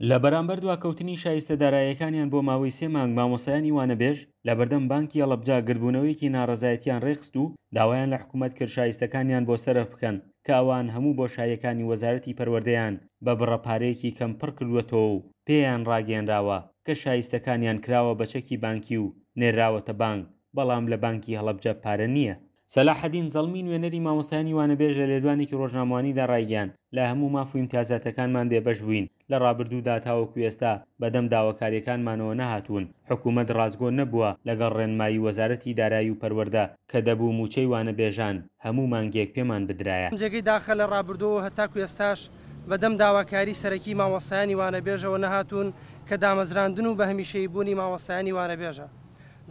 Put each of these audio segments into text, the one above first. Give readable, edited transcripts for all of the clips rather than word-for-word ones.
لە بەرامبەر دواکەوتنی شایستە داراییەکانیان بۆ ماوەی سێ مانگ مامۆستایانی وانەبێژ لەبەردەم بانکی هەڵەبجە گردبوونەوەیەکی ناڕەزایەتیان ڕێکخست و داوایان لە حکومەت کرد شایستەکانیان بۆ سەرف بکەن کە ئەوان هەموو بۆشاییەکانی وەزارەتی پەروەردەیان بە بڕە پارەیەکی کەم پڕکردووەتەوە و پێیان ڕاگەیەنراوە کە شایستەکانیان کراوە بە چەکی بانکی و نێرراوەتە بانک بەڵام لە بانکی هەڵەبجە پارە نییە. سەلاحەدین زەڵمی نوێنەری مامۆستایانی وانەبێژ لە لێدوانێکی ڕۆژنامەوانیدا ڕایگەیاند، لە هەموو ماف و ئیمتیازاتەکانمان بێبەش بووین، لە ڕابردوودا تاوەکو ئێستا بەدەم داواکارییەکانمانەوە نەهاتوون، حکومەت ڕاستگۆ نەبووە لەگەڵ ڕێنمایی وەزارەتی دارایی و پەروەردە کە دەبوو مووچەی وانەبێژان هەموو مانگێک پێمان بدرایە. جێگەی داخە لە ڕابردووەوە هەتاکو ئێستاش بەدەم داواکاری سەرەکی مامۆستایانی وانەبێژەوە نەهاتوون کە دامەزراندن و بەهەمیشەییبوونی مامۆستایانی وانەبێژە.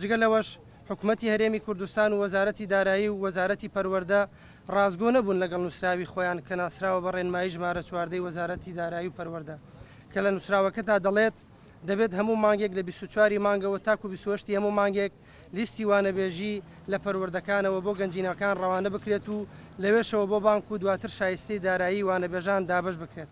جگە لەوەش حکومەتی هەرێمی کوردستان و وەزارەتی دارایی و وەزارەتی پەروەردە ڕاستگۆ نەبوون لەگەڵ نووسراوی خۆیان کە ناسراوە بە ڕێنمایی ژمارە چواردەی وەزارەتی دارایی و پەروەردە کە لە نووسراوەکەدا دەڵێت دەبێت هەموو مانگێک لە 24 ی مانگەوە تاکو 28 ی هەموو مانگێک لیستی وانەبێژی لە پەروەردەکانەوە بۆ گەنجینەکان ڕەوانە بکرێت و لەوێشەوە بۆ بانک و دواتر شایستەی دارایی وانەبێژان دابەش بکرێت.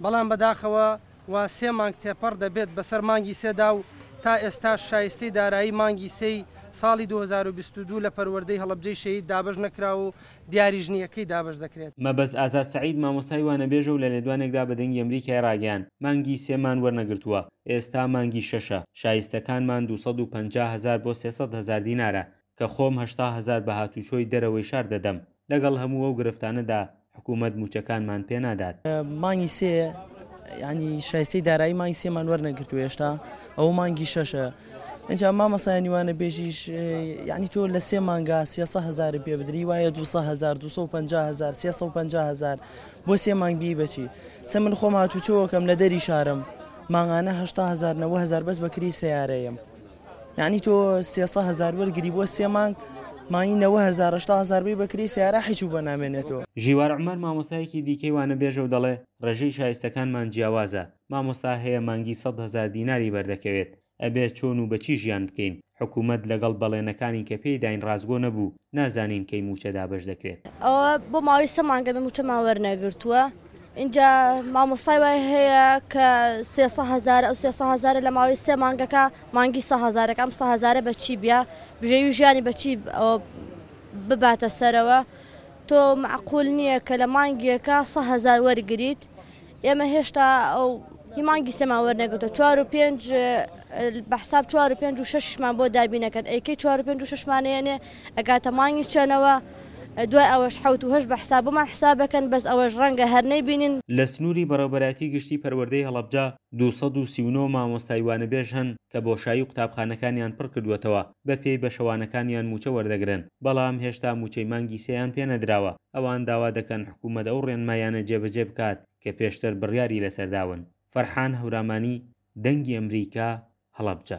بەڵام بەداخەوە وا سێ مانگ تێپەڕ دەبێت بەسەر مانگی سێدا و تا ئێستاش شایستەی دارایی مانگی سێی ساڵی 2022 لە پەروەردەی هەڵەبجەی شەهید دابەش نەکراوە و دیاریش نییە کەی دابەش دەکرێت. مەبەست ئازاد سەعید مامۆستای وانەبێژە و لە لێدوانێکدا بە دەنگی ئەمریکای ڕاگەیاند، مانگی سێمان وەرنەگرتووە، ئێستا مانگی شەشە، شایستەکانمان 250 هەزار بۆ 300 هەزار دینارە، کە خۆم 80 هەزار بە هاتوچۆی دەرەوەی شار دەدەم، لەگەڵ هەموو ئەو گرفتانەدا حکوومەت مووچەکانمان پێ نادات. مانگی سێ یانی شایستەی دارایی مانگی سێمان وەرنەگرتووە هێشتا ئەوە مانگی شەشە ئینجا مامۆستایانی وانەبێژیش یعنی تۆ لە سێ مانگا سێسە هەزار پێ بدری وایە 200 هزار 250 هزار 350 هزار بۆ سێ مانگ بی بەچی سە من خۆم هاتوچۆکەم لە دەری شارم مانگانە 80 هزار 90 هزار بەس بەکری سیارەیەم یانی تۆ سێسە هەزار وەرگری بۆ سێ مانگ مانگی نەوە هەزار هەشتا هەزار بی بەکری سیارە حیچ و بە نامێنێتەوە. ژیوار عومەر مامۆستایەکی دیکەی وانەبێژە و دەڵێ، ڕێژەی شایستەکانمان جیاوازە، مامۆستا هەیە مانگی 100 هەزار دیناری بەردەکەوێت، ئەبێ چۆن و بە چی ژیان بکەین، حکومەت لەگەڵ بەڵێنەکانی کە پێی داین ڕاستگۆ نەبوو، نازانین کەی مووچە دابەش دەکرێت. ئەوە بۆ ماوەی سێ مانگە بێ مووچەمان وەرنەگرتووە، ئینجا مامۆستای وای هەیە کە سێ هەزارە ئەو سێ هەزارە لە ماوەی سێ مانگەکە مانگی سە هەزارەکە ئەم سە هەزارە بە چی بیا بژێوی ژیانی بە چی ئەوە بباتە سەرەوە تۆ مەعقول نییە کە لە مانگێکە سە هەزار وەرگریت ئێمە هێشتا ئەو هی مانگی سێمان وەرنەگرتووە چوار و پێنج بە حساب چوار و پێنج و شەشیشمان بۆ دابینەکەن ئەی کەی چوار و پێنج و شەشمان ئەیەنێ ئەگاتە مانگی چەنەوە دوای ئەوەش حەوت و هەشت بە حساب بۆمان حساب بەکەن بەس ئەوەش ڕەنگە هەر نەیبینین. لە سنووری بەڕێوەبەرایەتی گشتی پەروەردەی هەڵەبجە 239 مامۆستای وانەبێژ هەن کە بۆشایی قوتابخانەکانیان پڕکردووەتەوە، بەپێی بەشەوانەکانیان مووچە وەردەگرن، بەڵام هێشتا مووچەی مانگی سێیان پێنەدراوە، ئەوان داوا دەکەن حکوومەت ئەو ڕێنماییانە جێبەجێ بکات کە پێشتر بڕیاری لەسەر داون. فەرحان هەورامانی، دەنگی ئەمریکا، هەڵەبجە.